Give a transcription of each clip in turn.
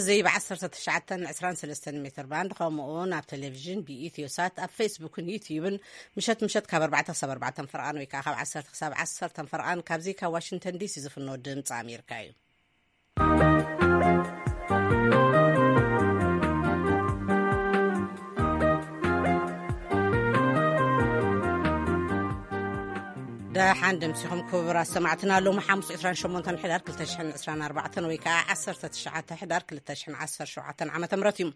እዚ ብ19 23 ሜትር ባንድ፣ ከምኡ እውን ኣብ ቴሌቪዥን ብኢትዮ ሳት፣ ኣብ ፌስቡክን ዩትዩብን ምሸት ምሸት ካብ ኣርባዕተ ክሳብ ኣርባዕተ ፈርቓን ወይ ከዓ ካብ ዓሰርተ ክሳብ ዓሰርተ ፈርቓን ካብዚ ካብ ዋሽንግተን ዲሲ ዝፍኖ ድምፂ ኣሜሪካ እዩ። ደሓን ደምሲኹም ክቡራት ሰማዕትና። ሎሚ ሓሙስ ዕስራን ሸሞንተን ሕዳር ክልተ ሽሕን ዕስራን ኣርባዕተን ወይ ከዓ ዓሰርተ ትሽዓተ ሕዳር ክልተ ሽሕን ዓሰርተ ሸውዓተን ዓመተ ምህረት እዩ።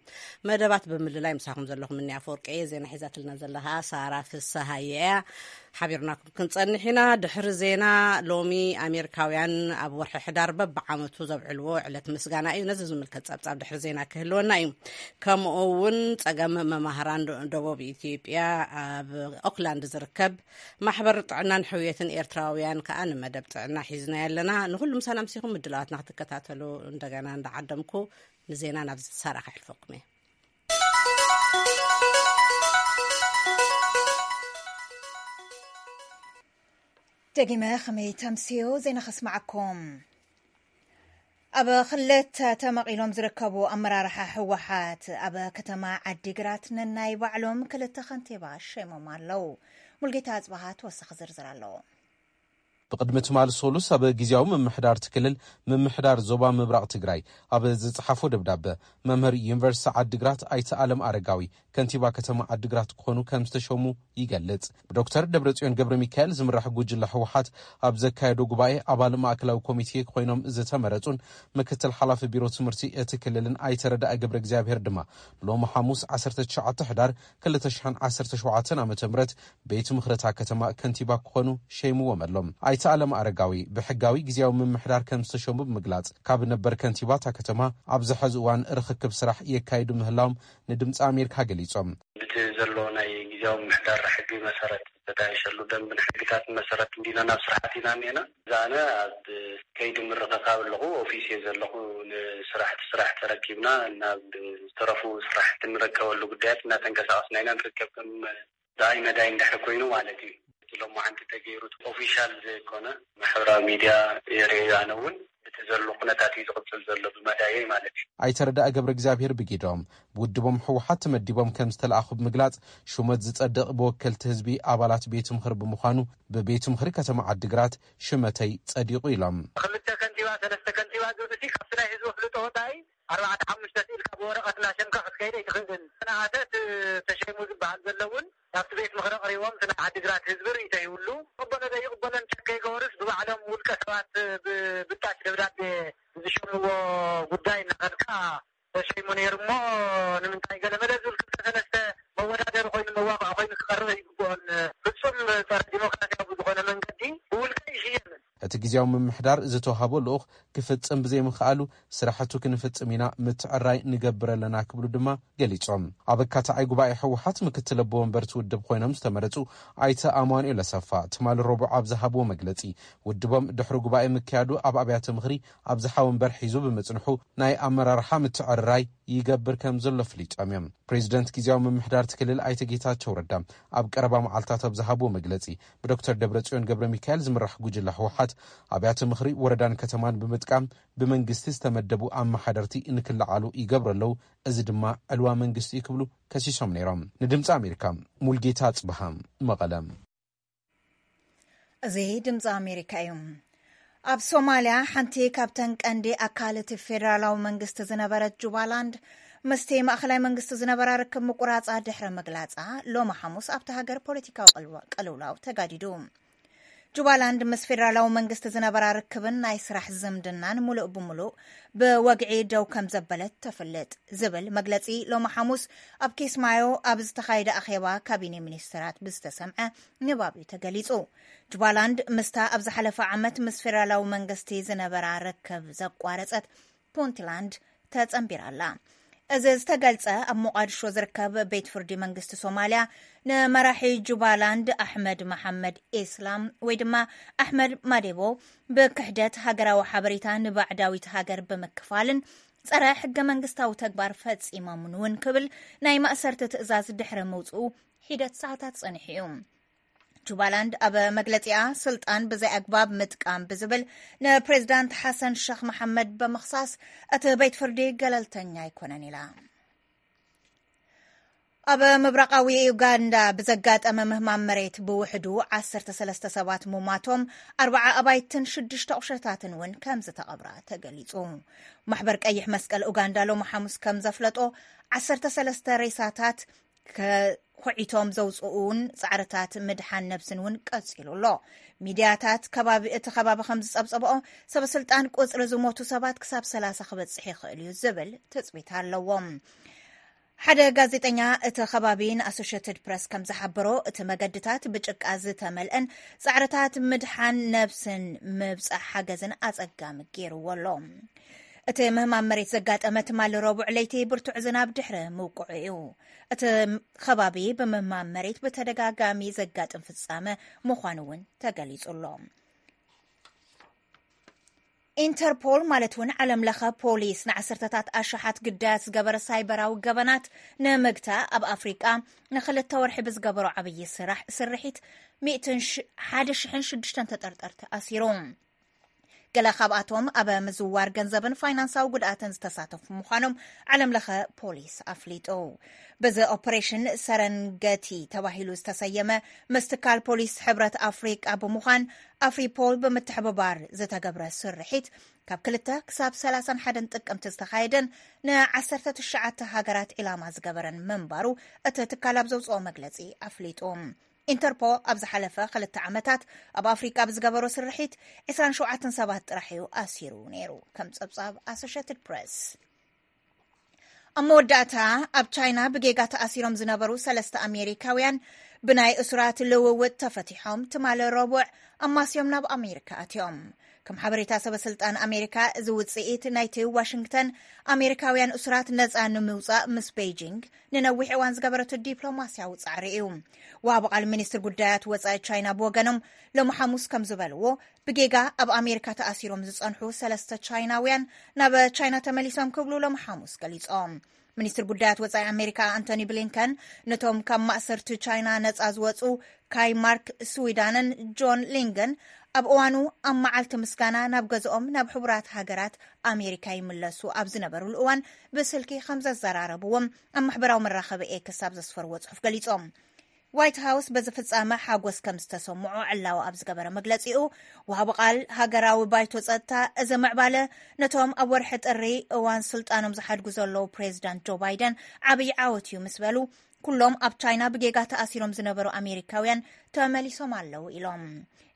መደባት ብምልላይ ምሳኹም ዘለኹ ምንያ ኣፈወርቂ እየ። ዜና ሒዛትልና ዘለኻ ሳራ ፍስሃየ እያ። ሓቢርናኩም ክንጸንሕ ኢና። ድሕሪ ዜና፣ ሎሚ ኣሜሪካውያን ኣብ ወርሒ ሕዳር በብዓመቱ ዘብዕልዎ ዕለት ምስጋና እዩ። ነዚ ዝምልከት ጸብጻብ ድሕሪ ዜና ክህልወና እዩ። ከምኡ እውን ጸገም መማህራን ዶ-፣ ደቡብ ኢትዮጵያ ኣብ ኦክላንድ ዝርከብ ማሕበር ጥዕናን ሕውየትን ኤርትራውያን ከኣ ንመደብ ጥዕና ሒዝና ኣለና። ንኹሉ ምሳና ምሲኹም ምድላዋትና ክትከታተሉ እንደገና እንዳዓደምኩ ንዜና ናብ ሳራ ከሕልፈኩም እየ። ደጊመ ከመይ ተምስዮ ዜና ከስማዓኩም። ኣብ ክልተ ተመቒሎም ዝርከቡ ኣመራርሓ ህወሓት ኣብ ከተማ ዓዲግራት ነናይ ባዕሎም ክልተ ከንቲባ ሸይሞም ኣለዉ። ሙልጌታ ኣጽባሃ ተወሳኺ ዝርዝር ኣለዎ። ብቕድሚ ትማሊ ሶሉስ ኣብ ግዜያዊ ምምሕዳር እቲ ክልል ምምሕዳር ዞባ ምብራቕ ትግራይ ኣብ ዝጸሓፎ ደብዳበ፣ መምህር ዩኒቨርሲቲ ዓዲግራት ኣይተ ኣለም ኣረጋዊ ከንቲባ ከተማ ዓዲግራት ክኾኑ ከም ዝተሸሙ ይገልጽ። ብዶክተር ደብረጽዮን ገብረ ሚካኤል ዝምራሕ ጉጅለ ህወሓት ኣብ ዘካየዶ ጉባኤ ኣባል ማእከላዊ ኮሚቴ ኮይኖም ዝተመረጹን ምክትል ሓላፊ ቢሮ ትምህርቲ እቲ ክልልን ኣይተ ረዳኢ ገብረ እግዚኣብሔር ድማ ሎሚ ሓሙስ ዓሰርተ ትሽዓተ ሕዳር ክልተ ሽሕን ዓሰርተ ሸውዓተን ዓመተ ምህረት ቤት ምኽሪ እታ ከተማ ከንቲባ ክኾኑ ሸይምዎም ኣሎ። ኣይተ ኣለም ኣረጋዊ ብሕጋዊ ግዜያዊ ምምሕዳር ከም ዝተሸሙ ብምግላጽ፣ ካብ ነበር ከንቲባ እታ ከተማ ኣብዚ ሕዚ እዋን ርኽክብ ስራሕ የካይዱ ምህላዎም ንድምፂ ኣሜሪካ ገሊጾም። እቲ ዘሎ ናይ ግዜያዊ ምምሕዳር ሕጊ መሰረት፣ ዝተጣየሸሉ ደንብን ሕግታትን መሰረት እንዲና ናብ ስራሕ ኣቲና እኒአና። እዛ ኣነ ኣብ ከይዲ ምርኽኻብ ኣለኹ፣ ኦፊስ እየ ዘለኹ። ንስራሕቲ ስራሕ ተረኪብና ናብ ዝተረፉ ስራሕቲ ንረከበሉ ጉዳያት እናተንቀሳቐስና ኢና ንርከብ። ከም ዳይ መዳይ እንድሕር ኮይኑ ማለት እዩ። እቲ ሎማዓንቲ ተገይሩ ኦፊሻል ዘይኮነ ማሕበራዊ ሚድያ የርእዩ። ኣነ እውን እቲ ዘሎ ኩነታት እዩ ዝቕፅል ዘሎ ብመዳየይ ማለት እዩ። ኣይተ ረዳኢ ገብረ እግዚኣብሔር ብጊዶም ብውድቦም ህወሓት ተመዲቦም ከም ዝተለኣኹ ብምግላጽ፣ ሹመት ዝጸድቕ ብወከልቲ ህዝቢ ኣባላት ቤት ምኽሪ ብምዃኑ ብቤት ምኽሪ ከተማ ዓዲግራት ሽመተይ ጸዲቑ ኢሎም። ክልተ ከንቲባ፣ ሰለስተ ከንቲባ ዝብል እቲ ካብቲ ናይ ህዝቢ ኣፍልጦ ወጻኢ ኣርባዕተ ሓሙሽተ ስኢልካ ብወረቐት እናሸምካ ክትከይድ ኣይትኽእልን። ተነኣሰት ተሸይሙ ዝበሃል ዘሎ እውን ናብቲ ቤት ምኽሪ ኣቕሪቦም እቲ ናይ ዓዲግራት ህዝቢ ርእይቶ ይብሉ። ይቕበሎ ዘይቕበሎ እንተ ከይገበሩስ ብባዕሎም ውልቀ ሰባት ብብጣሽ ደብዳቤ ዝሸምዎ ጉዳይ እናኸድካ ተሸይሙ ነይሩ እሞ ንምንታይ ገለመለ ዝብል ክልተ ሰለስተ መወዳደሪ ኮይኑ መዋቕዒ ኮይኑ ክቐርብ ኣይግብኦን። ፍጹም ጸረ ዲሞክራሲያዊ ብዝኾነ መንገዲ ብውልቀ ይሽየምን። እቲ ግዜያዊ ምምሕዳር ዝተዋህቦ ልኡኽ ክፍጽም ብዘይምኽኣሉ ስራሕቱ ክንፍጽም ኢና፣ ምትዕራይ ንገብር ኣለና ክብሉ ድማ ገሊጾም። ኣብ ኣካታዓይ ጉባኤ ህወሓት ምክትል ኣቦ ወንበር እቲ ውድብ ኮይኖም ዝተመረጹ ኣይተ ኣማኑኤል ኣሰፋ ትማሊ ረቡዕ ኣብ ዝሃብዎ መግለጺ፣ ውድቦም ድሕሪ ጉባኤ ምክያዱ ኣብ ኣብያተ ምኽሪ ኣብዝሓ ወንበር ሒዙ ብምጽንሑ ናይ ኣመራርሓ ምትዕርራይ ይገብር ከም ዘሎ ኣፍሊጦም እዮም። ፕሬዚደንት ግዜያዊ ምምሕዳር እቲ ክልል ኣይተ ጌታቸው ረዳ ኣብ ቀረባ መዓልታት ኣብ ዝሃብዎ መግለጺ፣ ብዶክተር ደብረጽዮን ገብረ ሚካኤል ዝምራሕ ጉጅለ ህወሓት ኣብያተ ምኽሪ ወረዳን ከተማን ብምጥቃም ብመንግስቲ ዝተመደቡ ኣመሓደርቲ እንክለዓሉ ይገብሩ ኣለዉ፣ እዚ ድማ ዕልዋ መንግስቲ እዩ ክብሉ ከሲሶም ነይሮም። ንድምፂ ኣሜሪካ ሙልጌታ ኣጽብሃ፣ መቐለ። እዚ ድምፂ ኣሜሪካ እዩ። ኣብ ሶማልያ ሓንቲ ካብተን ቀንዲ ኣካል እቲ ፌደራላዊ መንግስቲ ዝነበረት ጁባላንድ፣ ምስቲ ማእኸላይ መንግስቲ ዝነበራ ርክብ ምቁራፃ ድሕሪ ምግላፃ፣ ሎሚ ሓሙስ ኣብቲ ሃገር ፖለቲካዊ ቅልዋ-፣ ቅልውላው ተጋዲዱ። ጁባላንድ ምስ ፌደራላዊ መንግስቲ ዝነበራ ርክብን ናይ ስራሕ ዝምድናን ሙሉእ ብሙሉእ ብወግዒ ደው ከም ዘበለት ተፍልጥ ዝብል መግለጺ ሎሚ ሓሙስ ኣብ ኪስማዮ ኣብ ዝተኻየደ ኣኼባ ካቢኔ ሚኒስትራት ብዝተሰምዐ ንባብ እዩ ተገሊጹ። ጁባላንድ ምስታ ኣብ ዝሓለፈ ዓመት ምስ ፌደራላዊ መንግስቲ ዝነበራ ርክብ ዘቋረጸት ፑንትላንድ ተጸንቢራ ኣላ። እዚ ዝተገልጸ ኣብ ሞቓድሾ ዝርከብ ቤት ፍርዲ መንግስቲ ሶማልያ ንመራሒ ጁባላንድ ኣሕመድ መሓመድ ኢስላም ወይ ድማ ኣሕመድ ማዴቦ ብክሕደት ሃገራዊ ሓበሬታ ንባዕዳዊት ሃገር ብምክፋልን ጸረ ሕገ መንግስታዊ ተግባር ፈጺሞምን እውን ክብል ናይ ማእሰርቲ ትእዛዝ ድሕሪ ምውጽኡ ሒደት ሰዓታት ጸኒሑ እዩ። ጁባላንድ ኣብ መግለጺኣ፣ ስልጣን ብዘይ ኣግባብ ምጥቃም ብዝብል ንፕሬዚዳንት ሓሰን ሸኽ መሓመድ ብምኽሳስ፣ እቲ ቤት ፍርዲ ገለልተኛ ኣይኮነን ኢላ። ኣብ ምብራቓዊ ዩጋንዳ ብዘጋጠመ ምህማም መሬት ብውሕዱ ዓሰርተ ሰለስተ ሰባት ምሟቶም፣ ኣርባዓ ኣባይትን ሽዱሽተ ቁሸታትን እውን ከም ዝተቐብራ ተገሊጹ። ማሕበር ቀይሕ መስቀል ኡጋንዳ ሎሚ ሓሙስ ከም ዘፍለጦ፣ ዓሰርተ ሰለስተ ሬሳታት ከ-፣ ኹዒቶም ዘውፅኡን ፃዕርታት ምድሓን ነብስን እውን ቀፂሉ ኣሎ። ሚድያታት ከባቢ፣ እቲ ከባቢ ከም ዝፀብፀበኦ፣ ሰበ ስልጣን ቁፅሪ ዝሞቱ ሰባት ክሳብ ሰላሳ ክበፅሕ ይኽእል እዩ ዝብል ትፅቢት ኣለዎም። ሓደ ጋዜጠኛ እቲ ከባቢ ንኣሶሽየትድ ፕረስ ከም ዝሓበሮ፣ እቲ መገድታት ብጭቃ ዝተመልአን ፃዕርታት ምድሓን ነብስን ምብፃሕ ሓገዝን ኣፀጋሚ ገይርዎ ኣሎ። እቲ ምህማም መሬት ዘጋጠመ ትማሊ ረቡዕ ለይቲ ብርቱዕ ዝናብ ድሕሪ ምውቅዑ እዩ። እቲ ከባቢ ብምህማም መሬት ብተደጋጋሚ ዘጋጥም ፍጻመ ምዃኑ እውን ተገሊጹ ኣሎ። ኢንተርፖል ማለት እውን ዓለም ለኸ ፖሊስ ንዓሰርተታት ኣሽሓት ግዳያት ዝገበረ ሳይበራዊ ገበናት ንምግታእ ኣብ ኣፍሪቃ ንክልተ ወርሒ ብዝገበሮ ዓብዪ ስራሕ ስርሒት ሚእትን ሽ-፣ ሓደ ሽሕን ሽዱሽተን ተጠርጠርቲ ኣሲሩ። ገለ ካብኣቶም ኣብ ምዝዋር ገንዘብን ፋይናንሳዊ ጉድኣትን ዝተሳተፉ ምዃኖም ዓለም ለኸ ፖሊስ ኣፍሊጡ። በዚ ኦፕሬሽን ሰረንገቲ ተባሂሉ ዝተሰየመ ምስ ትካል ፖሊስ ሕብረት ኣፍሪቃ ብምዃን ኣፍሪፖል ብምትሕብባር ዝተገብረ ስርሒት ካብ ክልተ ክሳብ ሰላሳን ሓደን ጥቅምቲ ዝተኻየደን ንዓሰርተ ትሽዓተ ሃገራት ዒላማ ዝገበረን ምንባሩ እቲ ትካል ኣብ ዘውፅኦ መግለፂ ኣፍሊጡ። ኢንተርፖ ኣብ ዝሓለፈ ክልተ ዓመታት ኣብ ኣፍሪቃ ብዝገበሮ ስርሒት ዕስራን ሸውዓተን ሰባት ጥራሕ እዩ ኣሲሩ ነይሩ፣ ከም ጸብጻብ ኣሶሽየትድ ፕረስ። ኣብ መወዳእታ፣ ኣብ ቻይና ብጌጋ ተኣሲሮም ዝነበሩ ሰለስተ ኣሜሪካውያን ብናይ እሱራት ልውውጥ ተፈቲሖም ትማሊ ረቡዕ ኣማስዮም ናብ ኣሜሪካ ኣትዮም። ከም ሓበሬታ ሰበ ስልጣን ኣሜሪካ፣ እዚ ውጽኢት ናይቲ ዋሽንግተን ኣሜሪካውያን እሱራት ነጻ ንምውጻእ ምስ ቤይጂንግ ንነዊሕ እዋን ዝገበረቶ ዲፕሎማስያዊ ጻዕሪ እዩ። ወሃቢ ቃል ሚኒስትር ጉዳያት ወጻኢ ቻይና ብወገኖም ሎሚ ሓሙስ ከም ዝበልዎ፣ ብጌጋ ኣብ ኣሜሪካ ተኣሲሮም ዝጸንሑ ሰለስተ ቻይናውያን ናብ ቻይና ተመሊሶም ክብሉ ሎሚ ሓሙስ ገሊጾም። ሚኒስትር ጉዳያት ወጻኢ ኣሜሪካ ኣንቶኒ ብሊንከን ነቶም ካብ ማእሰርቲ ቻይና ነጻ ዝወጹ ካይ ማርክ ስዊዳንን ጆን ሊንግን ኣብ እዋኑ ኣብ መዓልቲ ምስጋና ናብ ገዝኦም ናብ ሕቡራት ሃገራት ኣሜሪካ ይምለሱ ኣብ ዝነበሩሉ እዋን ብስልኪ ከም ዘዘራረብዎም ኣብ ማሕበራዊ መራኸቢ ኤክስ ኣብ ዘስፈርዎ ጽሑፍ ገሊጾም። ዋይት ሃውስ በዚ ፍጻመ ሓጎስ ከም ዝተሰምዖ ዕላዊ ኣብ ዝገበረ መግለጺኡ፣ ወሃቢ ቃል ሃገራዊ ባይቶ ጸጥታ፣ እዚ ምዕባለ ነቶም ኣብ ወርሒ ጥሪ እዋን ስልጣኖም ዝሓድጉ ዘለዉ ፕሬዚዳንት ጆ ባይደን ዓብዪ ዓወት እዩ ምስ በሉ፣ ኩሎም ኣብ ቻይና ብጌጋ ተኣሲሮም ዝነበሩ ኣሜሪካውያን ተመሊሶም ኣለዉ ኢሎም።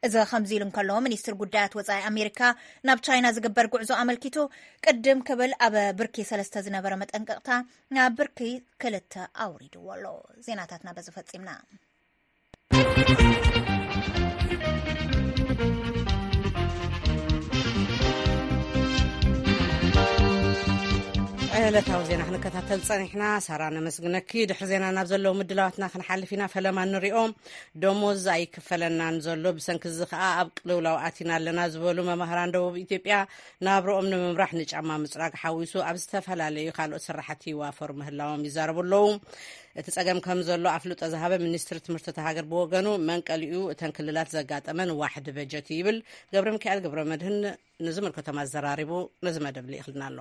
እዚ ከምዚ ኢሉ እንከሎ፣ ሚኒስትር ጉዳያት ወጻኢ ኣሜሪካ ናብ ቻይና ዝግበር ጉዕዞ ኣመልኪቱ ቅድም ክብል ኣብ ብርኪ ሰለስተ ዝነበረ መጠንቀቕታ ናብ ብርኪ ክልተ ኣውሪድዎ ኣሎ። ዜናታትና በዚ ፈጺምና። ዕለታዊ ዜና ክንከታተል ጸኒሕና። ሳራ፣ ነመስግነኪ። ድሕሪ ዜና ናብ ዘለዉ ምድላዋትና ክንሓልፍ ኢና። ፈለማ ንሪኦ። ደሞዝ ኣይክፈለናን ዘሎ፣ ብሰንኪ እዚ ከኣ ኣብ ቅልውላው ኣቲና ኣለና ዝበሉ መማህራን ደቡብ ኢትዮጵያ ናብርኦም ንምምራሕ ንጫማ ምጽራግ ሓዊሱ ኣብ ዝተፈላለዩ ካልኦት ስራሕቲ ይዋፈሩ ምህላዎም ይዛረቡ ኣለዉ። እቲ ጸገም ከም ዘሎ ኣፍልጦ ዝሃበ ሚኒስትሪ ትምህርቲ እታ ሃገር ብወገኑ፣ መንቀሊኡ እተን ክልላት ዘጋጠመ ንዋሕዲ በጀት እዩ ይብል። ገብረ ሚካኤል ገብረ መድህን ንዝምልከቶም ኣዘራሪቡ ነዚ መደብ ልኢኽልና ኣሎ።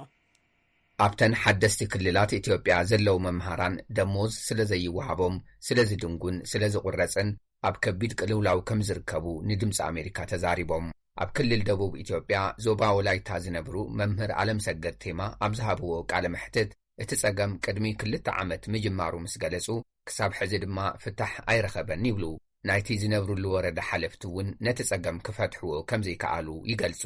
ኣብተን ሓደስቲ ክልላት ኢትዮጵያ ዘለዉ መምሃራን ደሞዝ ስለ ዘይወሃቦም፣ ስለ ዝድንጉን ስለ ዝቑረጽን ኣብ ከቢድ ቅልውላው ከም ዝርከቡ ንድምፂ ኣሜሪካ ተዛሪቦም። ኣብ ክልል ደቡብ ኢትዮጵያ ዞባ ወላይታ ዝነብሩ መምህር ኣለምሰገድ ቴማ ኣብ ዝሃብዎ ቃለ መሕትት፣ እቲ ጸገም ቅድሚ ክልተ ዓመት ምጅማሩ ምስ ገለጹ፣ ክሳብ ሕዚ ድማ ፍታሕ ኣይረኸበን ይብሉ። ናይቲ ዝነብሩሉ ወረዳ ሓለፍቲ እውን ነቲ ጸገም ክፈትሕዎ ከም ዘይከኣሉ ይገልጹ።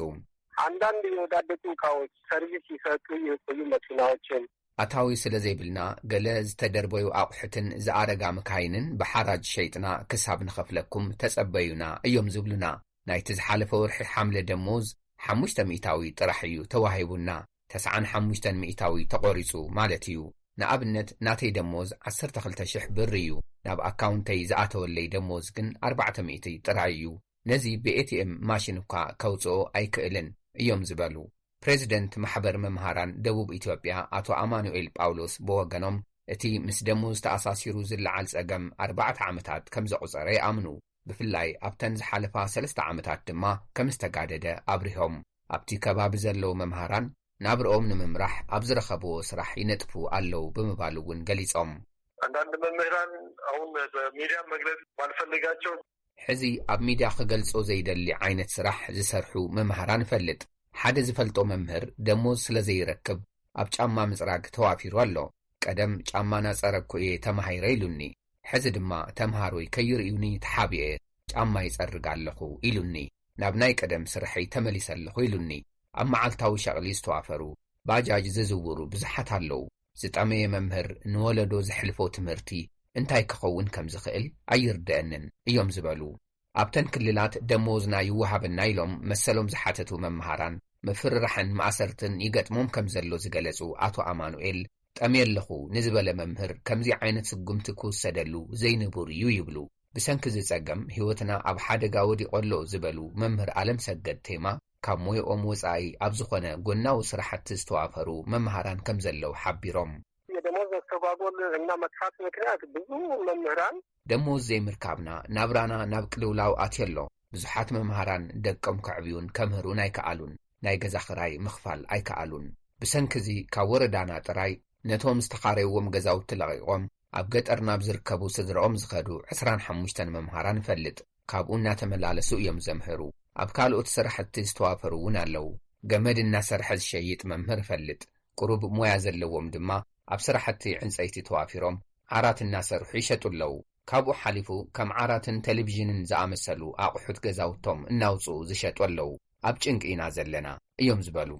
አንዳንድ የወዳደቁ እቃዎች፣ ሰርቪስ ይሰጡ የቆዩ መኪናዎችን። ኣታዊ ስለ ዘይብልና፣ ገለ ዝተደርበዩ ኣቑሑትን ዝኣረጋ መካይንን ብሓራጅ ሸይጥና ክሳብ ንኸፍለኩም ተጸበዩና እዮም ዝብሉና። ናይቲ ዝሓለፈ ወርሒ ሓምለ ደሞዝ ሓሙሽተ ሚእታዊ ጥራሕ እዩ ተዋሂቡና። ተስዓን ሓሙሽተን ሚእታዊ ተቖሪጹ ማለት እዩ። ንኣብነት፣ ናተይ ደሞዝ ዓሰርተ ክልተ ሽሕ ብር እዩ። ናብ ኣካውንተይ ዝኣተወለይ ደሞዝ ግን ኣርባዕተ ሚእቲ ጥራይ እዩ። ነዚ ብኤቲኤም ማሽን እኳ ከውጽኦ ኣይክእልን እዮም ዝበሉ። ፕሬዚደንት ማሕበር መምሃራን ደቡብ ኢትዮጵያ ኣቶ ኣማኑኤል ጳውሎስ ብወገኖም፣ እቲ ምስ ደሞዝ ተኣሳሲሩ ዝለዓል ጸገም ኣርባዕተ ዓመታት ከም ዘቑጸረ ይኣምኑ። ብፍላይ ኣብተን ዝሓለፋ ሰለስተ ዓመታት ድማ ከም ዝተጋደደ ኣብሪሆም። ኣብቲ ከባቢ ዘለዉ መምሃራን ናብርኦም ንምምራሕ ኣብ ዝረኸብዎ ስራሕ ይነጥፉ ኣለዉ ብምባል እውን ገሊጾም። አንዳንድ መምህራን አሁን በሚዲያ መግለጽ ባልፈልጋቸው ሕዚ ኣብ ሚድያ ክገልጾ ዘይደሊ ዓይነት ስራሕ ዝሰርሑ መምሃራን እፈልጥ። ሓደ ዝፈልጦ መምህር ደሞዝ ስለ ዘይረክብ ኣብ ጫማ ምጽራግ ተዋፊሩ ኣሎ። ቀደም ጫማ ናጸረግኩ እየ ተማሂረ ኢሉኒ። ሕዚ ድማ ተምሃሮይ ከይርእዩኒ ተሓቢኤ ጫማ ይጸርግ ኣለኹ ኢሉኒ። ናብ ናይ ቀደም ስርሐይ ተመሊሰ ኣለኹ ኢሉኒ። ኣብ መዓልታዊ ሸቕሊ ዝተዋፈሩ ባጃጅ ዝዝውሩ ብዙሓት ኣለዉ። ዝጠመየ መምህር ንወለዶ ዘሕልፎ ትምህርቲ እንታይ ክኸውን ከም ዝኽእል ኣይርደአንን እዮም ዝበሉ። ኣብተን ክልላት ደሞዝና ይወሃበና ኢሎም መሰሎም ዝሓተቱ መምሃራን ምፍርራሕን ማእሰርትን ይገጥሞም ከም ዘሎ ዝገለጹ ኣቶ ኣማኑኤል፣ ጠምየ ኣለኹ ንዝበለ መምህር ከምዚ ዓይነት ስጉምቲ ክውሰደሉ ዘይንቡር እዩ ይብሉ። ብሰንኪ እዚ ጸገም ህይወትና ኣብ ሓደጋ ወዲቑ ኣሎ ዝበሉ መምህር ኣለምሰገድ ቴማ፣ ካብ ሞያኦም ወጻኢ ኣብ ዝኾነ ጎናዊ ስራሕቲ ዝተዋፈሩ መምሃራን ከም ዘለዉ ሓቢሮም። የደሞዝ መስተጓጎል እና መጥፋት ምክንያት ብዙ መምህራን ደሞዝ ዘይምርካብና ናብራና ናብ ቅልውላው ኣትዮ ኣሎ። ብዙሓት መምሃራን ደቆም ከዕብዩን ከምህሩን ኣይከኣሉን። ናይ ገዛ ኽራይ ምኽፋል ኣይከኣሉን። ብሰንኪ እዚ ካብ ወረዳና ጥራይ ነቶም ዝተኻረይዎም ገዛውቲ ለቒቖም ኣብ ገጠር ናብ ዝርከቡ ስድራኦም ዝኸዱ ዕስራን ሓሙሽተን መምሃራን እፈልጥ። ካብኡ እናተመላለሱ እዮም ዘምህሩ። ኣብ ካልኦት ስራሕቲ ዝተዋፈሩ እውን ኣለዉ። ገመድ እናሰርሐ ዝሸይጥ መምህር እፈልጥ። ቁሩብ ሞያ ዘለዎም ድማ ኣብ ስራሕቲ ዕንጸይቲ ተዋፊሮም ዓራት እናሰርሑ ይሸጡ ኣለዉ። ካብኡ ሓሊፉ ከም ዓራትን ቴሌቪዥንን ዝኣመሰሉ ኣቑሑት ገዛውቶም እናውጽኡ ዝሸጡ ኣለዉ። ኣብ ጭንቂ ኢና ዘለና እዮም ዝበሉ።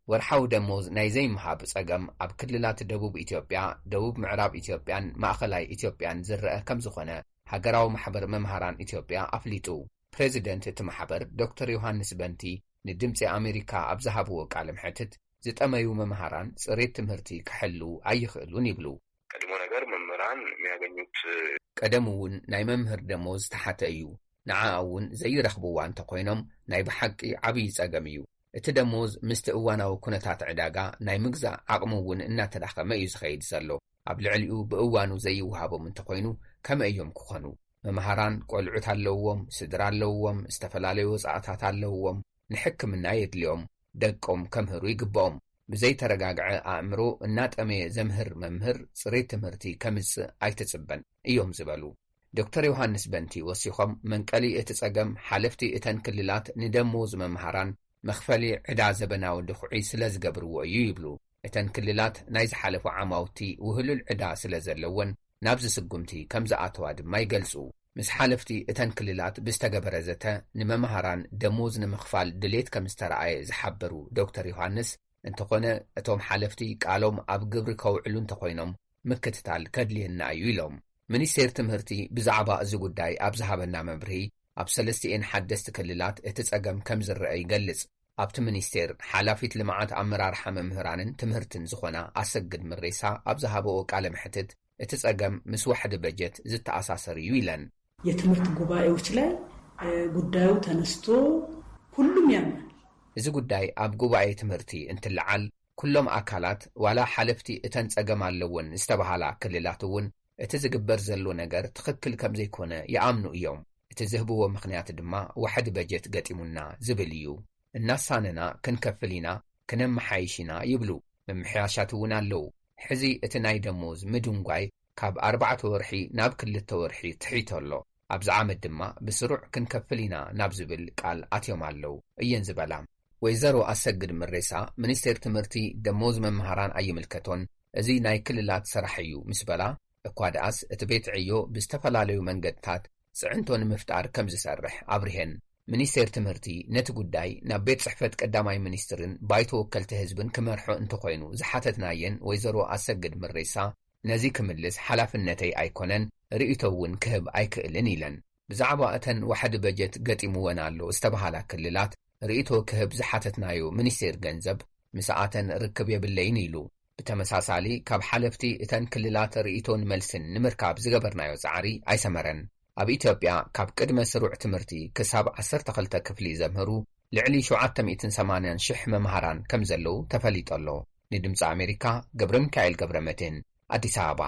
ወርሓዊ ደሞዝ ናይ ዘይምሃብ ጸገም ኣብ ክልላት ደቡብ ኢትዮጵያ፣ ደቡብ ምዕራብ ኢትዮጵያን ማእኸላይ ኢትዮጵያን ዝረአ ከም ዝኾነ ሃገራዊ ማሕበር መምሃራን ኢትዮጵያ ኣፍሊጡ። ፕሬዚደንት እቲ ማሕበር ዶክተር ዮሃንስ በንቲ ንድምጺ ኣሜሪካ ኣብ ዝሃብዎ ቃለ መሕትት፣ ዝጠመዩ መምሃራን ጽሬት ትምህርቲ ክሕልዉ ኣይኽእሉን ይብሉ። ቀድሞ ነገር መምህራን የሚያገኙት ቀደም እውን ናይ መምህር ደሞዝ ዝተሓተ እዩ። ንዓ እውን ዘይረኽብዋ እንተኾይኖም ናይ ብሓቂ ዓብዪ ጸገም እዩ። እቲ ደሞዝ ምስቲ እዋናዊ ኩነታት ዕዳጋ ናይ ምግዛእ ዓቕሚ እውን እናተዳኸመ እዩ ዝኸይድ ዘሎ። ኣብ ልዕሊኡ ብእዋኑ ዘይወሃቦም እንተኾይኑ ከመይ እዮም ክኾኑ? መምሃራን ቆልዑት ኣለውዎም፣ ስድራ ኣለውዎም፣ ዝተፈላለዩ ወጻእታት ኣለውዎም፣ ንሕክምና የድልዮም፣ ደቆም ከምህሩ ይግብኦም። ብዘይተረጋግዐ ኣእምሮ እናጠመየ ዘምህር መምህር ጽሬት ትምህርቲ ከምጽእ ኣይትጽበን እዮም ዝበሉ ዶክተር ዮሃንስ በንቲ ወሲኾም፣ መንቀሊ እቲ ጸገም ሓለፍቲ እተን ክልላት ንደሞዝ መምሃራን መኽፈሊ ዕዳ ዘበናዊ ድኹዒ ስለ ዝገብርዎ እዩ ይብሉ። እተን ክልላት ናይ ዝሓለፉ ዓማውቲ ውህሉል ዕዳ ስለ ዘለወን ናብዚ ስጉምቲ ከም ዝኣተዋ ድማ ይገልጹ። ምስ ሓለፍቲ እተን ክልላት ብዝተገበረ ዘተ ንመምሃራን ደሞዝ ንምኽፋል ድሌት ከም ዝተረኣየ ዝሓበሩ ዶክተር ዮሃንስ፣ እንተኾነ እቶም ሓለፍቲ ቃሎም ኣብ ግብሪ ከውዕሉ እንተኾይኖም ምክትታል ከድልየና እዩ ኢሎም። ሚኒስቴር ትምህርቲ ብዛዕባ እዚ ጉዳይ ኣብ ዝሃበና መብርሂ፣ ኣብ ሰለስቲኤን ሓደስቲ ክልላት እቲ ጸገም ከም ዝረአ ይገልጽ። ኣብቲ ሚኒስቴር ሓላፊት ልምዓት ኣመራርሓ መምህራንን ትምህርትን ዝኾና ኣሰግድ ምሬሳ ኣብ ዝሃበኦ ቃለ መሕትት፣ እቲ ጸገም ምስ ዋሕዲ በጀት ዝተኣሳሰር እዩ ኢለን። የትምህርት ጉባኤዎች ላይ ጉዳዩ ተነስቶ ሁሉም ያምናል። እዚ ጉዳይ ኣብ ጉባኤ ትምህርቲ እንትለዓል፣ ኩሎም ኣካላት ዋላ ሓለፍቲ እተን ጸገም ኣለወን ዝተባሃላ ክልላት እውን እቲ ዝግበር ዘሎ ነገር ትኽክል ከም ዘይኮነ ይኣምኑ እዮም። እቲ ዝህብዎ ምኽንያት ድማ ዋሕዲ በጀት ገጢሙና ዝብል እዩ። እናሳነና ክንከፍል ኢና፣ ክነመሓይሽ ኢና ይብሉ። ምምሕያሻት እውን ኣለዉ። ሕዚ እቲ ናይ ደሞዝ ምድንጓይ ካብ ኣርባዕተ ወርሒ ናብ ክልተ ወርሒ ትሒቶ ኣሎ። ኣብዚ ዓመት ድማ ብስሩዕ ክንከፍል ኢና ናብ ዝብል ቃል ኣትዮም ኣለዉ እየን ዝበላ። ወይዘሮ ኣሰግድ ምሬሳ፣ ሚኒስቴር ትምህርቲ ደሞዝ መምሃራን ኣይምልከቶን፣ እዚ ናይ ክልላት ስራሕ እዩ ምስ በላ፣ እኳ ደኣስ እቲ ቤት ዕዮ ብዝተፈላለዩ መንገድታት ጽዕንቶ ንምፍጣር ከም ዝሰርሕ ኣብሪሀን። ሚኒስቴር ትምህርቲ ነቲ ጉዳይ ናብ ቤት ጽሕፈት ቀዳማይ ሚኒስትርን ባይቶ ወከልቲ ህዝብን ክመርሖ እንተኾይኑ ዝሓተትናየን ወይዘሮ ኣሰግድ ምሬሳ፣ ነዚ ክምልስ ሓላፍነተይ ኣይኮነን፣ ርእይቶ እውን ክህብ ኣይክእልን ኢለን። ብዛዕባ እተን ዋሕዲ በጀት ገጢምወን ኣሎ ዝተባሃላ ክልላት ርእይቶ ክህብ ዝሓተትናዮ ሚኒስቴር ገንዘብ፣ ምስኣተን ርክብ የብለይን ኢሉ። ብተመሳሳሊ፣ ካብ ሓለፍቲ እተን ክልላት ርእይቶን መልስን ንምርካብ ዝገበርናዮ ጻዕሪ ኣይሰመረን። ኣብ ኢትዮጵያ፣ ካብ ቅድመ ስሩዕ ትምህርቲ ክሳብ ዓሰርተ ክልተ ክፍሊ ዘምህሩ ልዕሊ ሸውዓተ ሚእትን ሰማንያን ሽሕ መምሃራን ከም ዘለዉ ተፈሊጡ ኣሎ። ንድምጺ ኣሜሪካ፣ ገብረ ሚካኤል ገብረ መድህን፣ ኣዲስ ኣበባ።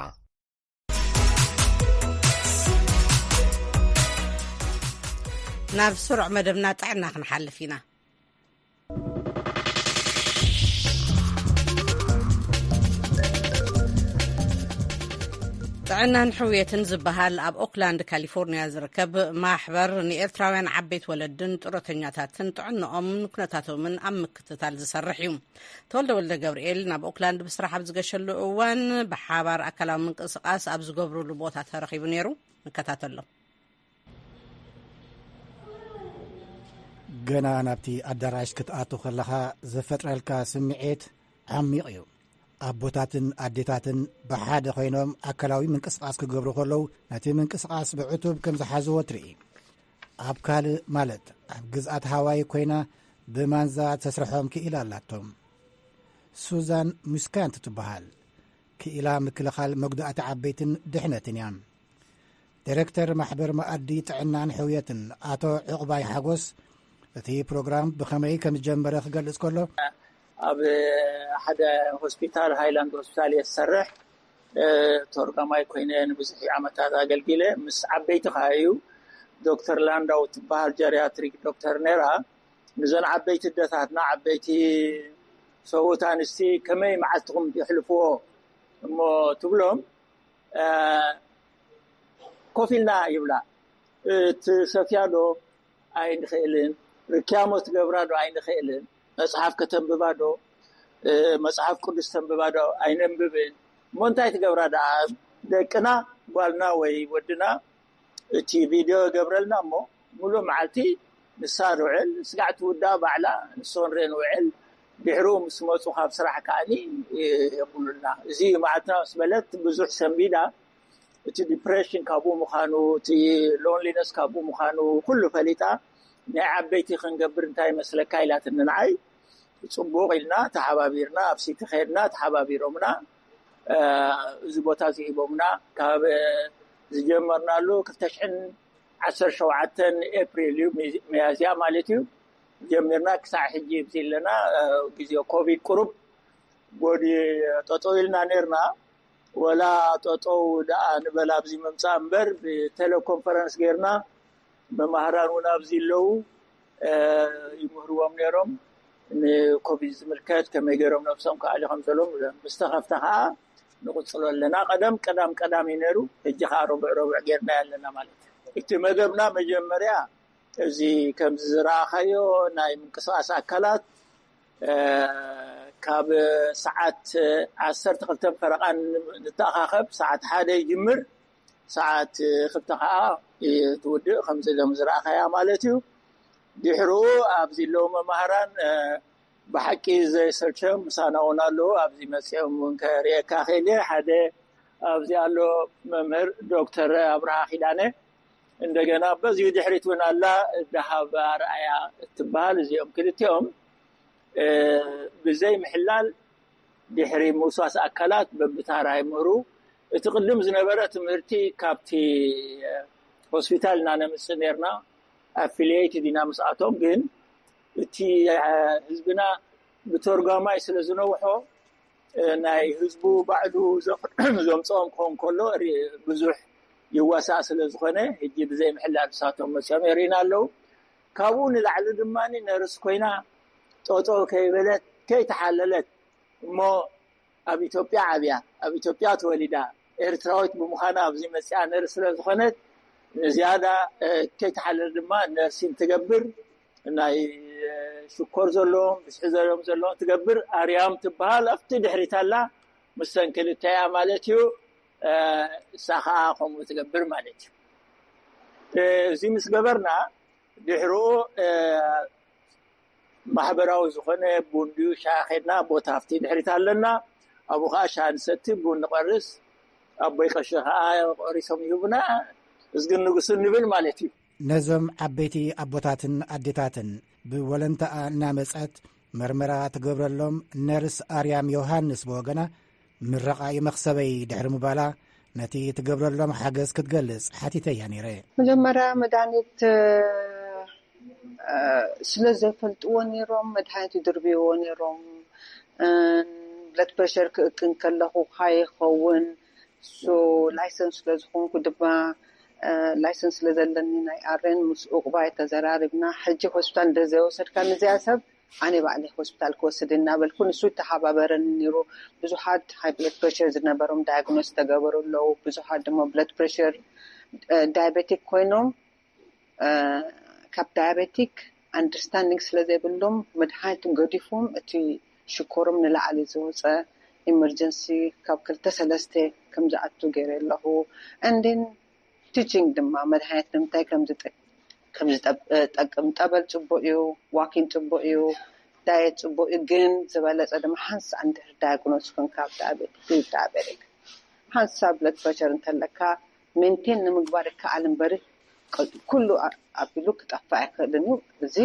ናብ ስሩዕ መደብና ጥዕና ክንሓልፍ ኢና። ጥዕናን ሕውየትን ዝበሃል ኣብ ኦክላንድ ካሊፎርኒያ ዝርከብ ማሕበር ንኤርትራውያን ዓበይቲ ወለድን ጡረተኛታትን ጥዕንኦምን ኩነታቶምን ኣብ ምክትታል ዝሰርሕ እዩ። ተወልደ ወልደ ገብርኤል ናብ ኦክላንድ ብስራሕ ኣብ ዝገሸሉ እዋን ብሓባር ኣካላዊ ምንቅስቃስ ኣብ ዝገብሩሉ ቦታ ተረኺቡ ነይሩ። ንከታተሎ። ገና ናብቲ ኣዳራሽ ክትኣቱ ከለኻ ዝፈጥረልካ ስምዒት ዓሚቕ እዩ። ኣቦታትን ኣዴታትን ብሓደ ኮይኖም ኣካላዊ ምንቅስቃስ ክገብሩ ከለዉ፣ ነቲ ምንቅስቃስ ብዕቱብ ከም ዝሓዝዎ ትርኢ። ኣብ ካልእ፣ ማለት ኣብ ግዝኣት ሃዋይ ኮይና ብማንዛ ተስርሖም ክኢላ ኣላቶም። ሱዛን ሙስካንት ትበሃል። ክኢላ ምክልኻል መጉዳእቲ ዓበይትን ድሕነትን እያ። ዲሬክተር ማሕበር መኣዲ ጥዕናን ሕውየትን ኣቶ ዕቑባይ ሓጎስ፣ እቲ ፕሮግራም ብኸመይ ከም ዝጀመረ ክገልጽ ከሎ፣ ኣብ ሓደ ሆስፒታል፣ ሃይላንድ ሆስፒታል እየ ዝሰርሕ። ተርጓማይ ኮይነ ንብዙሕ ዓመታት ኣገልጊለ። ምስ ዓበይቲ ከኣ እዩ፣ ዶክተር ላንዳው ትበሃል ጀሪያትሪክ ዶክተር ነይራ። ንዘን ዓበይቲ ኣደታትና፣ ዓበይቲ ሰብኡት ኣንስቲ ከመይ መዓልትኹም የሕልፍዎ እሞ ትብሎም፣ ኮፍ ኢልና ይብላ። ትሰፍያ ዶ? ኣይንኽእልን። ርክያሞ ትገብራ ዶ? ኣይንኽእልን። መጽሓፍ ከተንብባ ዶ? መጽሓፍ ቅዱስ ተንብባ ዶ? ኣይነንብብን። እሞ እንታይ ትገብራ ደኣ? ደቅና፣ ጓልና ወይ ወድና፣ እቲ ቪድዮ ይገብረልና እሞ፣ ሙሉእ መዓልቲ ንሳ ንውዕል፣ ስጋዕ ትውዳእ ባዕላ፣ ንሶ ንርኢ ንውዕል። ድሕሩ ምስ መጹ ካብ ስራሕ ከኣኒ የብሉልና። እዚ መዓልትና ምስ በለት ብዙሕ ሰንቢዳ፣ እቲ ዲፕሬሽን ካብኡ ምዃኑ፣ እቲ ሎንሊነስ ካብኡ ምዃኑ ኩሉ ፈሊጣ፣ ናይ ዓበይቲ ክንገብር እንታይ ይመስለካ ኢላትኒ ንዓይ። ጽቡቕ ኢልና ተሓባቢርና፣ ኣብ ሲቲ ኸድና ተሓባቢሮምና፣ እዚ ቦታ እዚ ሂቦምና። ካብ ዝጀመርናሉ ክልተ ሽሕን ዓሰርተ ሸውዓተን ኤፕሪል እዩ፣ ሚያዝያ ማለት እዩ፣ ጀሚርና ክሳዕ ሕጂ ኣብዚ ኣለና። ግዜ ኮቪድ ቁሩብ ጎዲ ጠጠው ኢልና ነርና። ወላ ጠጠው ደኣ ንበል ኣብዚ ምምጻእ እምበር፣ ብቴሌኮንፈረንስ ጌርና፣ መማህራን እውን ኣብዚ ኣለዉ፣ ይምህርዎም ነይሮም። ንኮቪድ ዝምልከት ከመይ ገይሮም ነብሶም ክኣልዩ ከም ዘለዎም። ምስ ተኸፍተ ከኣ ንቕጽሎ ኣለና። ቀደም ቀዳም ቀዳም እዩ ነይሩ፣ ሕጂ ከኣ ረቡዕ ረቡዕ ጌርናዮ ኣለና ማለት እዩ። እቲ መደብና መጀመርያ እዚ ከምዚ ዝረኣኻዮ ናይ ምንቅስቓስ ኣካላት፣ ካብ ሰዓት ዓሰርተ ክልተ ፈረቓ ንተኣኻኸብ። ሰዓት ሓደ ይጅምር፣ ሰዓት ክልተ ከኣ ትውድእ። ከምዚ ሎም ዝረኣኻያ ማለት እዩ። ድሕሩ ኣብዚ ኣለዉ መማህራን ብሓቂ ዘይሰልቸም ምሳና እውን ኣለዉ። ኣብዚ መጺኦም እውን ከርእየካ ክእል እየ። ሓደ ኣብዚ ኣሎ፣ መምህር ዶክተር ኣብርሃ ኪዳነ። እንደገና በዚ ድሕሪት እውን ኣላ፣ ደሃብ ኣርኣያ እትበሃል። እዚኦም ክልቲኦም ብዘይ ምሕላል ድሕሪ ምውሳስ ኣካላት በብታራ ይምህሩ። እቲ ቅድም ዝነበረ ትምህርቲ ካብቲ ሆስፒታል እናነምጽእ ነርና፣ ኣፊልየይት ዲና ምስኣቶም። ግን እቲ ህዝብና ብተርጓማይ ስለ ዝነውሖ፣ ናይ ህዝቡ ባዕሉ ዘምፅኦም ክኸውን ከሎ ብዙሕ ይዋሳእ ስለ ዝኾነ፣ ሕጂ ብዘይ ምሕላል ንሳቶም መፅኦም የርእና ኣለዉ። ካብኡ ንላዕሊ ድማ ነርስ ኮይና ጠጠው ከይበለት ከይተሓለለት፣ እሞ ኣብ ኢትዮጵያ ዓብያ፣ ኣብ ኢትዮጵያ ተወሊዳ፣ ኤርትራዊት ብምዃና ኣብዚ መፅኣ ነርስ ስለ ዝኾነት፣ ንዝያዳ ከይተሓለለ ድማ ነርሲን ትገብር። ናይ ሽኮር ዘለዎም፣ ብዝሒ ዘለዎም ዘለዎም ትገብር። ኣርያም ትበሃል፣ ኣብቲ ድሕሪት ኣላ፣ ምስተን ክልተ እያ ማለት እዩ። እሳ ከዓ ከምኡ ትገብር ማለት እዩ። እዚ ምስ ገበርና፣ ድሕርኡ ማሕበራዊ ዝኾነ ቡን ድዩ ሻሂ ኸድና፣ ቦታ ኣብቲ ድሕሪት ኣለና። ኣብኡ ከዓ ሻሂ ንሰቲ፣ ቡን ንቐርስ፣ ኣቦይ ቀሺ ከዓ ቆሪሶም ይህቡና፣ እዝግን ንጉስን ንብል ማለት እዩ። ነዞም ዓበይቲ ኣቦታትን ኣዴታትን ብወለንታኣ እናመጸት መርመራ ትገብረሎም ነርስ ኣርያም ዮሃንስ ብወገና፣ ምረቓ እዩ መኽሰበይ ድሕሪ ምባላ፣ ነቲ ትገብረሎም ሓገዝ ክትገልጽ ሓቲተያ ነይረ። መጀመርያ መድሃኒት ስለ ዘይፈልጥዎ ነይሮም፣ መድሃኒት ይድርብይዎ ነይሮም። ብለድ ፕረሸር ክእክን ከለኹ ከይኸውን፣ ላይሰንስ ስለ ዝኾንኩ ድማ ላይሰንስ ስለ ዘለኒ ናይ ኣሬን ምስ ኡቕባይ ተዘራሪብና። ሕጂ ሆስፒታል እንተዘይወሰድካ ንዚኣ ሰብ ኣነ ባዕለ ሆስፒታል ክወስድ እናበልኩ፣ ንሱ ይተሓባበረኒ ነይሩ። ብዙሓት ሃይ ብለድ ፕሬሸር ዝነበሮም ዳያግኖስ ተገበሩ ኣለዉ። ብዙሓት ድማ ብለድ ፕሬሸር ዳያቤቲክ ኮይኖም፣ እ፣ ካብ ዳያቤቲክ ኣንደርስታንዲንግ ስለ ዘይብሎም፣ መድሃኒት ገዲፎም፣ እቲ ሽኮሮም ንላዕሊ ዝወፀ፣ ኢመርጀንሲ ካብ ክልተ ሰለስተ ከም ዝኣቱ ገይረ ኣለኹ። And then ቲቺንግ ድማ መድሃኒት ንምንታይ ከም ዝጠ-፣ ከም ዝጠብ-፣ ጠቅም፣ ጠበል ጽቡቅ እዩ፣ ዋኪን ጽቡቅ እዩ፣ ዳየት ጽቡቅ እዩ። ግን ዝበለጸ ድማ ሓንሳእ እንድሕር ዳያግኖስ ኮንካ፣ ኣብ ዳያቤት፣ ፕሪ ዳያቤቲክ፣ ሓንሳብ ብለድ ፕሬሸር እንተለካ ሜንቴን ንምግባር ይከኣል እምበሪ፣ ቅ-፣ ኩሉ ኣ-፣ ኣቢሉ ክጠፍእ ኣይክእልን እዩ። እዚ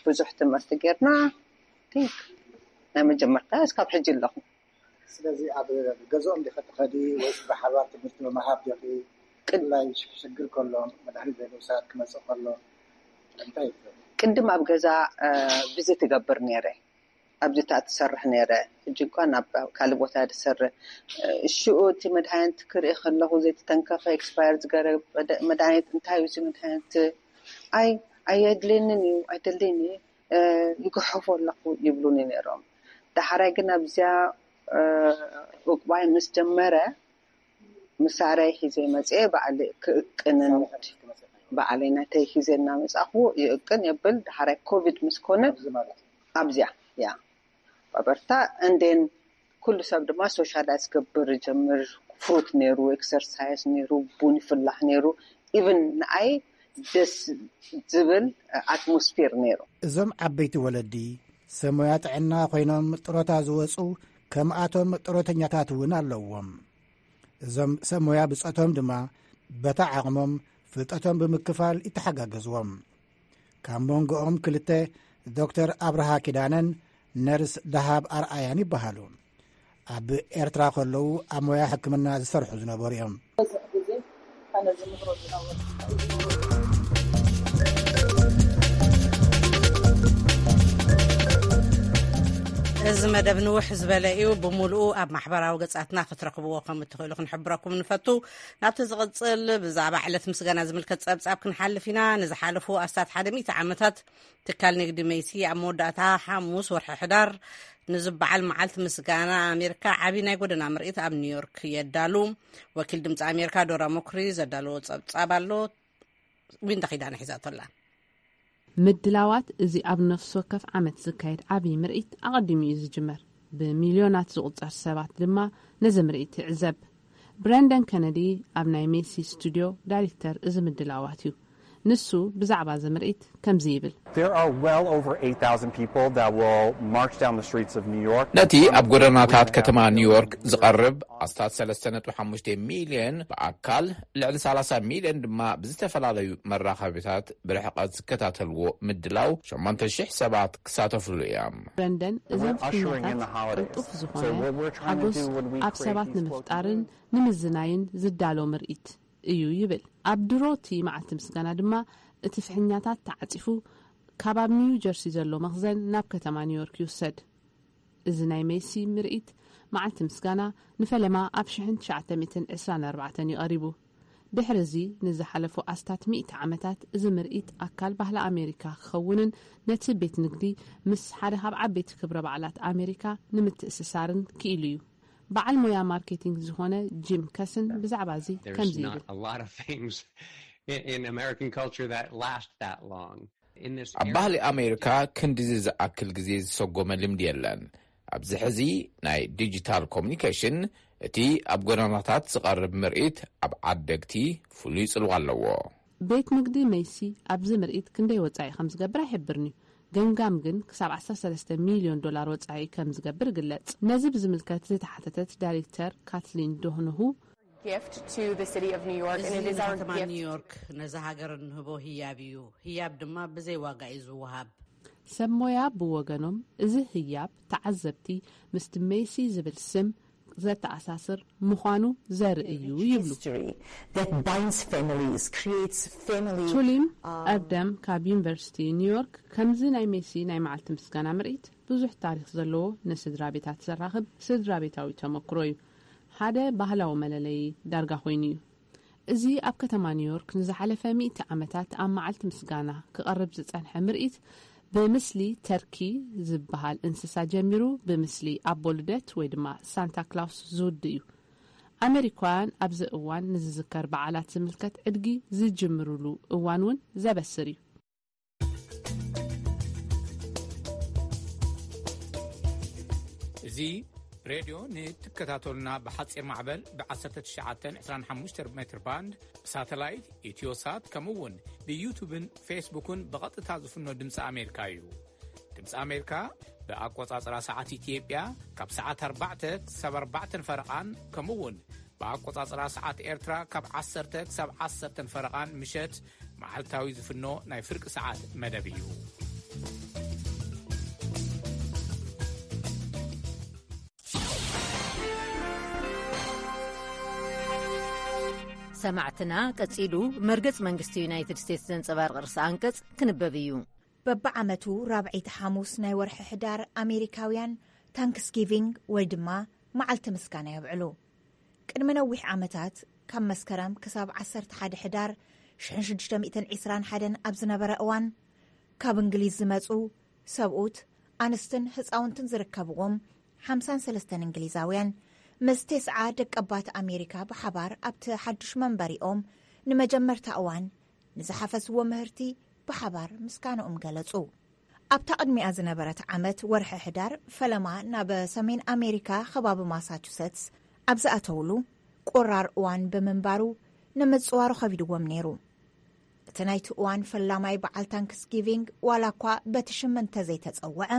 ብዙሕ ትምህርቲ ጌርና፣ ቲንክ ናይ መጀመርታ እስካብ ሕጂ ኣለኹ። ስለዚ ኣብ ገዝኦም ዲኺ ትኸዲ ወይስ ብሓባር ትምህርቲ ምሃብ ዲኺ? ቅድ-፣ ብፍላይ ሽ-፣ ሽግር ከሎ፣ መድሃኒት ዘይምውሳድ ክመጽእ ከሎ እንታይ እዩ ትገብሪ? ቅድም ኣብ ገዛ፣ እ፣ ቪዚት እገብር ነይረ። ኣብዚ እታ ትሰርሕ ነይረ። ሕጂ እኳ ናብ ካልእ ቦታ ድሰርሕ። እ፣ ሽኡ እቲ መድሃኒት ክርኢ ከለኹ ዘይተተንከፈ ኤክስፓየር ዝገረ መደ-፣ መድሃኒት እንታይ እዩ እዚ መድሃኒት? ኣይ፣ ኣየድልየንን እዩ፣ ኣይደልየኒ፣ እ፣ ይግሕፎ ኣለኹ ይብሉኒ ነይሮም። ዳሕራይ ግን ኣብዚኣ፣ እ፣ ኡቅባይ ምስ ጀመረ፣ መሳርያ ሒዘ መፅየ፣ ባዕለ ክእቅንን ባዕለይ ናተይ ሒዘ እናመፃኹ ይእቅን የብል። ዳሕራይ ኮቪድ ምስ ኮነ ኣብዚኣ፣ ያ፣ ባበርታ እንዴን ኩሉ ሰብ ድማ ሶሻላይዝ ክገብር ጀምር። ፍሩት ነይሩ፣ ኤክሰርሳይዝ ነይሩ፣ ቡን ይፍላሕ ነይሩ። ኢቭን ንኣይ ደስ ዝብል ኣትሞስፌር ነይሩ። እዞም ዓበይቲ ወለዲ ሰብ ሞያ ጥዕና ኮይኖም ጥሮታ ዝወፁ ከምኣቶም ጥሮተኛታት እውን ኣለዎም። እዞም ሰብ ሞያ ብጾቶም ድማ በታ ዓቕሞም ፍልጠቶም ብምክፋል ይተሓጋገዝዎም። ካብ መንጎኦም ክልተ ዶክተር ኣብርሃ ኪዳነን ነርስ ደሃብ ኣርኣያን ይበሃሉ። ኣብ ኤርትራ ከለዉ ኣብ ሞያ ሕክምና ዝሰርሑ ዝነበሩ እዮም። እዚ መደብ ንውሕ ዝበለ እዩ። ብምሉኡ ኣብ ማሕበራዊ ገጻትና ክትረኽብዎ ከም እትኽእሉ ክንሕብረኩም ንፈቱ። ናብቲ ዝቕጽል ብዛዕባ ዕለት ምስጋና ዝምልከት ጸብጻብ ክንሓልፍ ኢና። ንዝሓለፉ ኣስታት ሓደ ሚእቲ ዓመታት ትካል ንግዲ ሜሲ ኣብ መወዳእታ ሓሙስ ወርሒ ሕዳር ንዝበዓል መዓልቲ ምስጋና ኣሜሪካ ዓቢ ናይ ጎደና ምርኢት ኣብ ኒውዮርክ የዳሉ። ወኪል ድምጺ ኣሜሪካ ዶራ ሞክሪ ዘዳለዎ ጸብጻብ ኣሎ። ዊንታ ኪዳነ ሒዛቶ ኣላ። ምድላዋት እዚ ኣብ ነፍሲ ወከፍ ዓመት ዝካየድ ዓቢ ምርኢት ኣቐዲሙ እዩ ዝጅመር። ብሚልዮናት ዝቑጸር ሰባት ድማ ነዚ ምርኢት ይዕዘብ። ብረንደን ከነዲ ኣብ ናይ ሜሲ ስቱድዮ ዳይሬክተር እዚ ምድላዋት እዩ። ንሱ ብዛዕባ እዚ ምርኢት ከምዚ ይብል። There are well over eight thousand people that will march down the streets of New York ነቲ ኣብ ጎደናታት ከተማ ኒውዮርክ ዝቐርብ ኣስታት ሰለስተ ነጥቢ ሓሙሽተ ሚልዮን ብኣካል፣ ልዕሊ ሰላሳ ሚልዮን ድማ ብዝተፈላለዩ መራኸቢታት ብርሕቀት ዝከታተልዎ ምድላው ሸሞንተ ሽሕ ሰባት ክሳተፍሉ እዮም። ብረንደን እዞም ፍኛታት ቅልጡፍ ዝኾነ ሓጎስ ኣብ ሰባት ንምፍጣርን ንምዝናይን ዝዳሎ ምርኢት እዩ ይብል። ኣብ ድሮ እቲ መዓልቲ ምስጋና ድማ እቲ ፍሕኛታት ተዓጺፉ ካብ ኣብ ኒው ጀርሲ ዘሎ መኽዘን ናብ ከተማ ኒውዮርክ ይውሰድ። እዚ ናይ ሜሲ ምርኢት መዓልቲ ምስጋና ንፈለማ ኣብ ሽሕን ትሽዓተ ሚእትን ዕስራን ኣርባዕተን እዩ ቀሪቡ። ድሕሪ እዚ ንዝሓለፉ ኣስታት ሚእቲ ዓመታት እዚ ምርኢት ኣካል ባህሊ ኣሜሪካ ክኸውንን ነቲ ቤት ንግዲ ምስ ሓደ ካብ ዓበይቲ ክብረ በዓላት ኣሜሪካ ንምትእስሳርን ክኢሉ እዩ። በዓል ሞያ ማርኬቲንግ ዝኾነ ጂም ከስን ብዛዕባ እዚ ከምዚ ይብል። ኣብ ባህሊ ኣሜሪካ ክንዲዚ ዝኣክል ግዜ ዝሰጎመ ልምዲ የለን። ኣብዚ ሕዚ ናይ ዲጂታል ኮሙኒኬሽን እቲ ኣብ ጎደናታት ዝቐርብ ምርኢት ኣብ ዓደግቲ ፍሉይ ጽልዋ ኣለዎ። ቤት ንግዲ መይሲ ኣብዚ ምርኢት ክንደይ ወጻኢ ከም ዝገብር ኣይሕብርን እዩ። ገምጋም ግን ክሳብ ዓሰርተ ሰለስተ ሚልዮን ዶላር ወጻኢ ከም ዝገብር ይግለጽ። ነዚ ብዝምልከት ዝተሓተተት ዳይሬክተር ካትሊን ዶህንሁ፣ እዚ ንከተማ ኒውዮርክ ነዛ ሃገር እንህቦ ህያብ እዩ። ህያብ ድማ ብዘይ ዋጋ እዩ ዝወሃብ። ሰብ ሞያ ብወገኖም፣ እዚ ህያብ ተዓዘብቲ ምስቲ ሜሲ ዝብል ስም ዘተኣሳስር ምዃኑ ዘርኢ እዩ ይብሉ። ቱሊም ኣርደም ካብ ዩኒቨርሲቲ ኒውዮርክ ከምዚ ናይ ሜሲ ናይ መዓልቲ ምስጋና ምርኢት ብዙሕ ታሪኽ ዘለዎ ንስድራ ቤታት ዘራኽብ ስድራ ቤታዊ ተመክሮ እዩ። ሓደ ባህላዊ መለለዪ ዳርጋ ኮይኑ እዩ። እዚ ኣብ ከተማ ኒውዮርክ ንዝሓለፈ ሚእቲ ዓመታት ኣብ መዓልቲ ምስጋና ክቐርብ ዝጸንሐ ምርኢት፣ ብምስሊ ተርኪ ዝበሃል እንስሳ ጀሚሩ፣ ብምስሊ ኣቦ ልደት ወይ ድማ ሳንታ ክላውስ ዝውድእ እዩ። ኣመሪካውያን ኣብዚ እዋን ንዝዝከር በዓላት ዝምልከት ዕድጊ ዝጅምሩሉ እዋን እውን ዘበስር እዩ። እዚ ሬድዮ ንትከታተሉና ብሓጺር ማዕበል ብ19 25 ሜትር ባንድ፣ ብሳተላይት፣ ኢትዮሳት፣ ከምኡ እውን ብዩቱብን ፌስቡክን ብቐጥታ ዝፍኖ ድምፂ ኣሜሪካ እዩ። ድምፂ ኣሜሪካ ብኣቆጻጽራ ሰዓት ኢትዮጵያ ካብ ሰዓት ኣርባዕተ ክሳብ ኣርባዕተን ፈረቓን፣ ከምኡ እውን ብኣቆጻጽራ ሰዓት ኤርትራ ካብ ዓሰርተ ክሳብ ዓሰርተን ፈረቓን ምሸት መዓልታዊ ዝፍኖ ናይ ፍርቂ ሰዓት መደብ እዩ። ሰማዕትና፣ ቀጺሉ መርገጽ መንግስቲ ዩናይትድ ስቴትስ ዘንጸባርቕ ርእሰ ኣንቀጽ ክንበብ እዩ። በብዓመቱ ራብዐይቲ ሓሙስ ናይ ወርሒ ሕዳር ኣሜሪካውያን ታንክስጊቪንግ ወይ ድማ መዓልቲ ምስጋና የብዕሉ። ቅድሚ ነዊሕ ዓመታት፣ ካብ መስከረም ክሳብ ዓሰርተ ሓደ ሕዳር ሽሕን ሽዱሽተ ሚእትን ዕስራን ሓደን ኣብ ዝነበረ እዋን፣ ካብ እንግሊዝ ዝመጹ ሰብኡት፣ ኣንስትን ህጻውንትን ዝርከብዎም ሓምሳን ሰለስተን እንግሊዛውያን፣ ምስ ተስዓ ደቀባት ኣሜሪካ ብሓባር ኣብቲ ሓድሽ መንበሪኦም ንመጀመርታ እዋን ንዝሓፈስዎ ምህርቲ ብሓባር ምስጋንኦም ገለጹ። ኣብታ ቅድሚኣ ዝነበረት ዓመት ወርሒ ሕዳር፣ ፈለማ ናብ ሰሜን ኣሜሪካ ከባቢ ማሳቹሰትስ ኣብ ዝኣተውሉ፣ ቁራር እዋን ብምንባሩ፣ ንምጽዋሩ ከቢድዎም ነይሩ። እቲ ናይቲ እዋን ፈላማይ በዓል ታንክስጊቪንግ፣ ዋላ እኳ በቲ ሽም እንተዘይተጸውዐ፣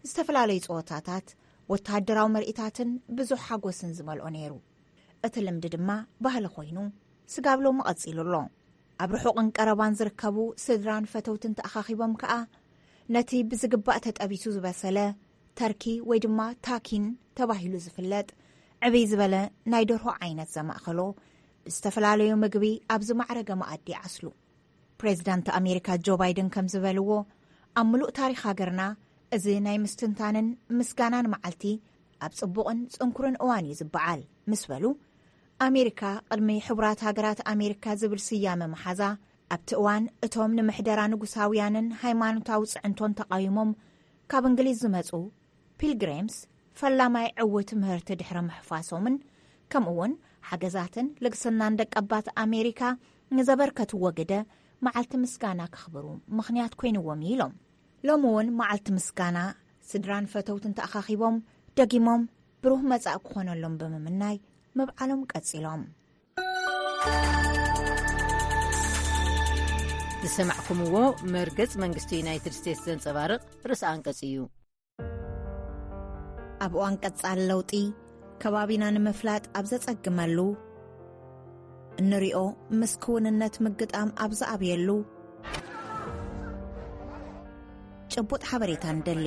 ዝተፈላለዩ ጸወታታት፣ ወተሃደራዊ ምርኢታትን ብዙሕ ሓጎስን ዝመልኦ ነይሩ። እቲ ልምዲ ድማ ባህሊ ኮይኑ፣ ስጋብ ሎሚ ቀጺሉ ኣሎ። ኣብ ርሑቕን ቀረባን ዝርከቡ ስድራን ፈተውትን ተኣኻኺቦም ከኣ፣ ነቲ ብዝግባእ ተጠቢሱ ዝበሰለ ተርኪ ወይ ድማ ታኪን ተባሂሉ ዝፍለጥ ዕብይ ዝበለ ናይ ደርሆ ዓይነት ዘማእኸሎ ብዝተፈላለዩ ምግቢ ኣብ ዝማዕረገ መኣዲ ይዓስሉ። ፕሬዚዳንት ኣሜሪካ ጆ ባይደን ከም ዝበልዎ፣ ኣብ ምሉእ ታሪኽ ሃገርና እዚ ናይ ምስትንታንን ምስጋናን መዓልቲ ኣብ ጽቡቕን ጽንኩርን እዋን እዩ ዝበዓል ምስ በሉ፣ ኣሜሪካ ቅድሚ ሕቡራት ሃገራት ኣሜሪካ ዝብል ስያመ መሓዛ፣ ኣብቲ እዋን እቶም ንምሕደራ ንጉሳውያንን ሃይማኖታዊ ጽዕንቶን ተቓዊሞም ካብ እንግሊዝ ዝመጹ ፒልግሪምስ ፈላማይ ዕዉት ምህርቲ ድሕሪ ምሕፋሶምን፣ ከምኡውን ሓገዛትን ልግስናን ደቀባት ኣሜሪካ ንዘበርከትዎ ግደ መዓልቲ ምስጋና ከኽብሩ ምኽንያት ኮይንዎም እዩ ኢሎም። ሎሚ እውን መዓልቲ ምስጋና፣ ስድራን ፈተውትን ተኣኻኺቦም ደጊሞም ብሩህ መጻኢ ክኾነሎም ብምምናይ ምብዓሎም ቀጺሎም። ዝሰማዕኩምዎ መርገጽ መንግስቲ ዩናይትድ ስቴትስ ዘንጸባርቕ ርእሰ ኣንቀጽ እዩ። ኣብ እዋን ቀጻሊ ለውጢ፣ ከባቢና ንምፍላጥ ኣብ ዘጸግመሉ፣ እንሪኦ ምስ ክውንነት ምግጣም ኣብ ዝኣብየሉ፣ ጭቡጥ ሓበሬታ ንደሊ።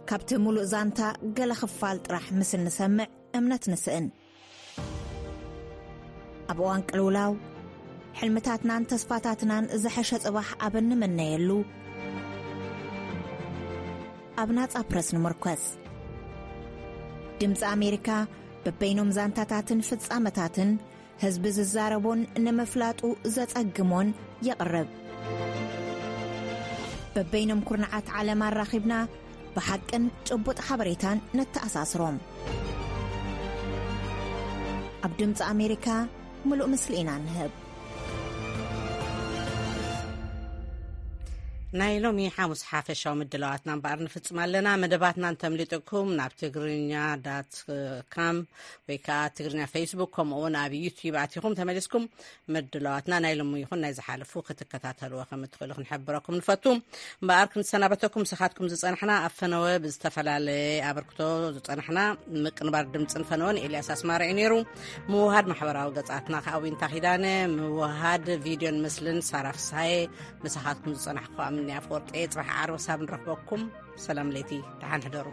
ካብቲ ሙሉእ ዛንታ ገለ ክፋል ጥራሕ ምስ እንሰምዕ እምነት ንስእን። ኣብ እዋን ቅልውላው፣ ሕልምታትናን ተስፋታትናን ዝሐሸ ጽባሕ ኣብ እንምነየሉ፣ ኣብ ናጻ ፕረስ ንምርኮስ። ድምጺ ኣሜሪካ በበይኖም ዛንታታትን ፍጻመታትን ህዝቢ ዝዛረቦን ንምፍላጡ ዘጸግሞን የቕርብ። በበይኖም ኩርናዓት ዓለም ኣራኺብና ብሓቅን ጭቡጥ ሓበሬታን ነተኣሳስሮም። ኣብ ድምፂ ኣሜሪካ ምሉእ ምስሊ ኢና ንህብ። ናይ ሎሚ ሓሙስ ሓፈሻዊ ምድላዋትና እምበኣር ንፍጽም ኣለና። መደባትና እንተምሊጥኩም ናብ ትግርኛ ዳት ካም ወይ ከዓ ትግርኛ ፌስቡክ፣ ከምኡ እውን ኣብ ዩቲዩብ ኣቲኹም ተመሊስኩም ምድላዋትና ናይ ሎሚ ይኹን ናይ ዝሓለፉ ክትከታተልዎ ከም እትኽእሉ ክንሕብረኩም ንፈቱ። እምበኣር ክንሰናበተኩም ንስኻትኩም ዝጸናሕና ኣብ ፈነወ ብዝተፈላለየ ኣበርክቶ ዝጸናሕና ምቅንባር ድምጽን ፈነወን ኤልያስ ኣስማረ እዩ ነይሩ። ምውሃድ ማሕበራዊ ገጻትና ከዓ ዊንታ ኪዳነ፣ ምውሃድ ቪድዮን ምስልን ሳራ ፍስሃየ፣ ምሳኻትኩም ዝጸናሕኩ ኣምኒ ኣፈወርቂ። ጽባሕ ዓርቢ ክሳብ ንረኽበኩም ሰላም ለይቲ፣ ደሓን ሕደሩ።